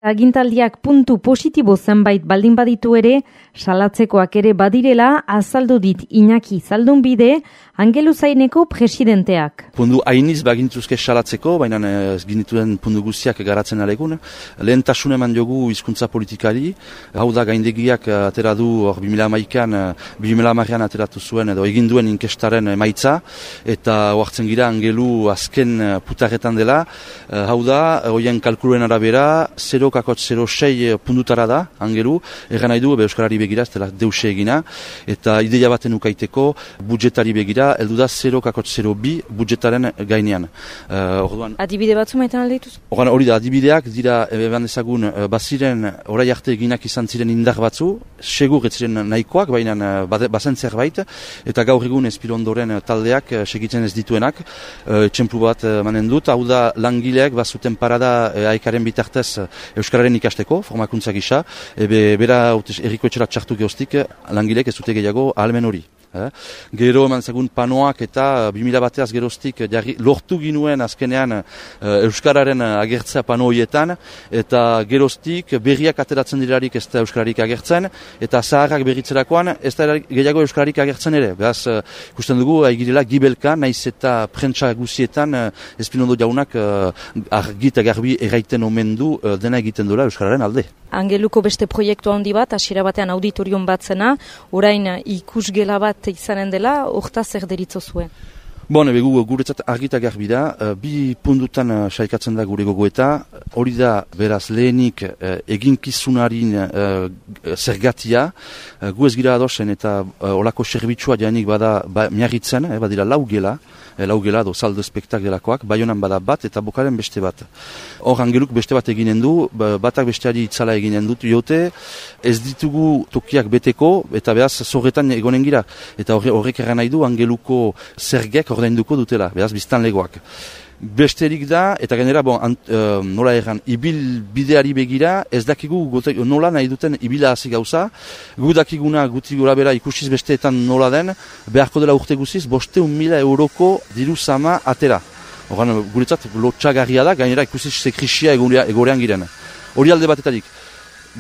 Agintaldiak puntu positibo zenbait baldin baditu ere, salatzekoak ere badirela azaldu dit Iñaki Zaldunbide, Angeluzaineko presidenteak. Puntu hainiz bagintuzke salatzeko, baina ez ginituen puntu guztiak garatzen alegun. Lehentasun eman jogu hizkuntza politikari, hau da gaindegiak atera du 2011an ateratu zuen edo egin duen inkestaren emaitza, eta oartzen gira Angelu azken putarretan dela, hau da, hoien kalkuluen arabera, 0,06 puntutara da, Angelu, erran nahi du, Euskarari begira, ez dela deuse egina, eta ideia baten ukaiteko, budjetari begira, heldu da 0,02 budjetaren gainean. Orduan, adibide batzu maitan aldeituz? Hori da, adibideak dira, eban ezagun, baziren, orai arte eginak izan ziren indar batzu, segur ez ziren nahikoak, baina bazen zerbait, eta gaur egun Espilondoren taldeak segitzen ez dituenak, txemplu bat manen dut, hau da langileak bazuten parada aikaren bitartez Euskararen ikasteko, formakuntza gisa, bera erriko etxera txartu geostik, langileek ez dute gehiago ahalmen hori. Gero eman zagun panoak eta 2000 bateaz geroztik lortu ginuen azkenean Euskararen agertzea pano horietan, eta geroztik berriak ateratzen dirarik ez da Euskararik agertzen, eta zaharrak berritzerakoan ez da gehiago Euskararik agertzen ere. Beraz, ikusten dugu, haigirela gibelka, naiz eta prentsa guzietan Espinondo jaunak argi eta garbi erraiten omen du dena egiten dola Euskararen alde. Angeluko beste proiektu handi bat, hasiera batean auditorium bat zena, orain ikusgela bat izanen dela, hortaz zer deritzo zuen? Begu guretzat argita garbi da, bi puntutan saikatzen da gure gogoeta, hori da beraz lehenik eginkizunarin zergatia, gu ez gira adosen eta olako serbitzua janik bada miarritzen, badira lau gela do saldo spektak delakoak, Baionan bada bat eta Bokaren beste bat. Hor Angeluk beste bat eginen du, batak besteari itzala eginen dut jote, ez ditugu tokiak beteko, eta behaz zorretan egonen gira, eta horrek erran nahi du Angeluko zergek ordainduko dutela, behaz biztan legoak. Besterik da, eta gainera, nola erran, ibil bideari begira, ez dakigu nola nahi duten ibila hasi gauza, gu dakiguna guti gora bera ikusiz besteetan nola den, beharko dela urte guziz, 500.000 euroko diru sama atera. Horan, guretzat, lotxagarria da, gainera ikusiz sekrisia egorean giren. Hori alde batetarik.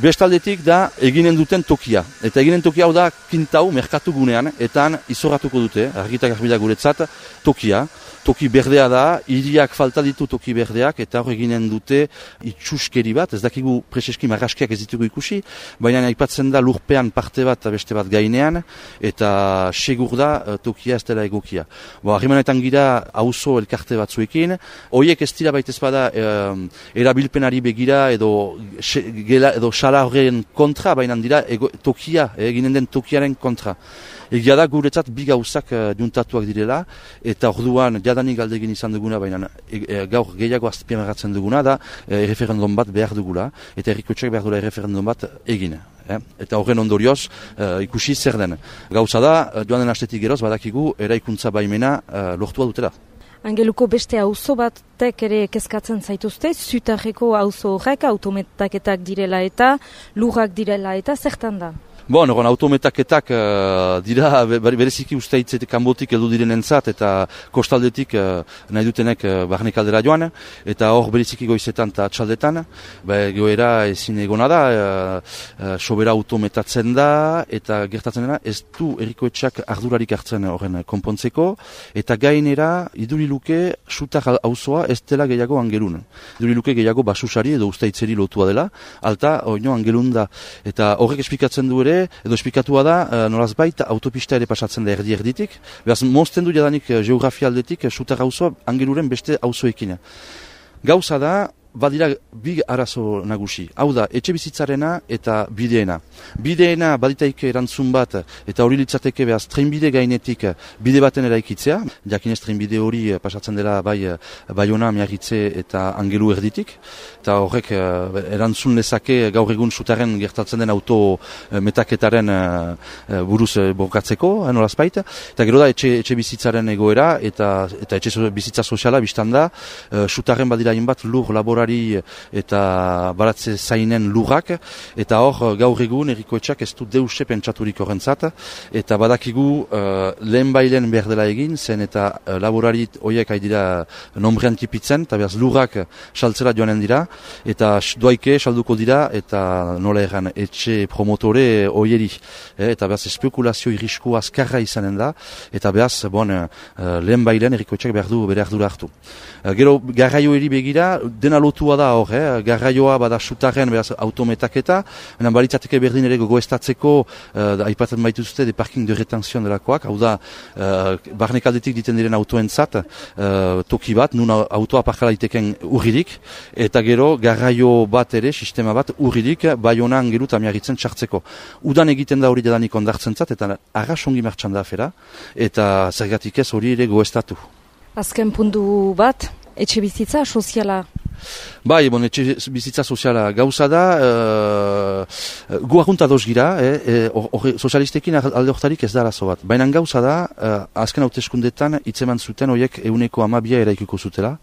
Bestaldetik da eginen duten tokia. Eta eginen tokia hau da kintau, merkatu gunean, eta izorratuko dute, argitak arbida guretzat, tokia. Toki berdea da, hiriak falta ditu toki berdeak, eta hor eginen dute itxuskeri bat, ez dakigu preseski marraskiak ez ditugu ikusi, baina aipatzen da lurpean parte bat beste bat gainean, eta segur da tokia ez dela egokia. Harrimanetan gira auzo elkarte batzuekin, horiek ez dira baitez bada erabilpenari begira edo sala horren kontra, baina dira tokia, eginen den tokiaren kontra. Egia da guretzat bi gauzak juntatuak direla, eta orduan jadanik galdegin izan duguna, baina gaur gehiago azpimarratzen duguna da erreferendum bat behar dugula, eta herrikotxeak behar dugula erreferendum bat egin. Eta horren ondorioz ikusi zer den. Gauza da, joan den astetik geroz, badakigu eraikuntza baimena lortua dutela. Angeluko beste auzo batek ere kezkatzen zaituzte, Zutarreko auzo horrek autometaketak direla eta lurrak direla eta zertan da? Autometaketak dira bereziki uste hitzetik kanbotik heldu direnentzat eta kostaldetik nahi dutenek barnek aldera joan, eta hor bereziki goizetan eta atxaldetan, goera ezin egona da, sobera autometatzen da, eta gertatzen dena ez du herrikoetxeak ardurarik hartzen horren konpontzeko, eta gainera iduriluke Sutar auzoa ez dela gehiago Angelun. Iduriluke gehiago basusari edo uste hitzeri lotua dela, alta oino Angelun da, eta horrek esplikatzen du ere, edo espikatua da, nolazbait autopista ere pasatzen da erditik. Beraz, mozten du jadanik geografia aldetik, Sutar auzoa Angeluren beste auzoekin. Gauza da, badira bi arazo nagusi. Hau da, etxe bizitzarena eta bideena. Bideena baditaik erantzun bat, eta hori litzateke behaz trenbide gainetik bide baten eraikitzea. Jakinez trenbide hori pasatzen dela Baiona, Miarritze eta Angelu erditik. Eta horrek erantzun lezake gaur egun Sutarren gertatzen den auto metaketaren buruz borkatzeko, nolazbait. Eta gero da, etxe bizitzaren egoera eta etxe bizitza soziala biztan da. Sutarren badira inbat lur labora laborari eta baratze zainen lurrak, eta hor gaur egun errikoetxak ez du deuse pentsaturik horrentzat, eta badakigu lehen bailen behar dela egin, zen eta laborari horiek haidira nombrean tipitzen, eta behaz lurrak saltzera joanen dira, eta doaike salduko dira, eta nola erran etxe promotore horieri, eta behaz espekulazio irrisku azkarra izanen da, eta behaz, lehen bailen errikoetxak behar du bere ardura hartu. Gero, garraioeri begira, dena lotua da hor, garraioa bada sutaren behaz autometaketa, balitzateke berdin ere gogoestatzeko, aipatzen baituzte, de parking de retenzion delakoak, hau da, barnekaldetik diten diren autoentzat, toki bat, nun autoa parkala iteken urridik, eta gero, garraio bat ere, sistema bat, urridik, Baionan geru eta miarritzen txartzeko. Udan egiten da hori dedanik ondartzen zat, eta arrasongi martxan da afera, eta zergatik ez hori ere goestatu. Azken puntu bat, etxe bizitza soziala. Bai, etxe bizitza soziala gauza da, gu ahunta doz gira, sozialistekin alde hortarik ez da arazo bat. Baina gauza da, azken hauteskundetan hitzeman zuten horiek 100% eraikiko zutela.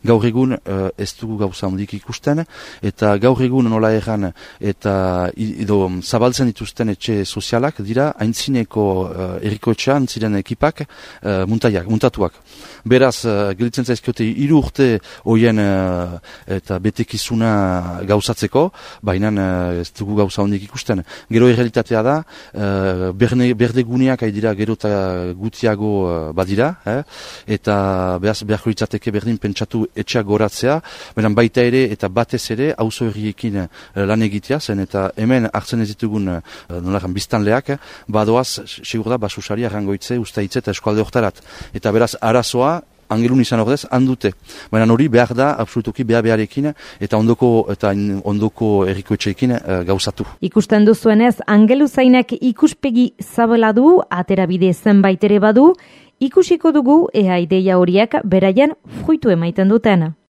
Gaur egun ez dugu gauza handik ikusten, eta gaur egun nola erran eta zabaltzen dituzten etxe sozialak dira haintzineko errikoetxean ziren ekipak muntatuak. Beraz, gelitzen zaizkiote 3 urte horien eta betekizuna gauzatzeko, baina ez dugu gauza hondik ikusten. Gero errealitatea da, berdeguneak haidira gero eta gutiago badira, eta beharko litzateke berdin pentsatu etxeak goratzea, baina baita ere eta batez ere auzo herriekin lan egitea, zen eta hemen hartzen ez ditugun biztanleak, badoaz, segur da, basusari arrangoitze, ustaitze eta eskualde hortarat. Eta beraz, arazoa, angelun izan ordez, handute. Baina hori behar da, absolutoki beharekin, eta ondoko errikoetxeekin gauzatu. Ikusten duzuenez, Angeluzainek ikuspegi zabela du, aterabide zenbait ere badu, ikusiko dugu ea ideia horiek beraien fruitu emaiten duten.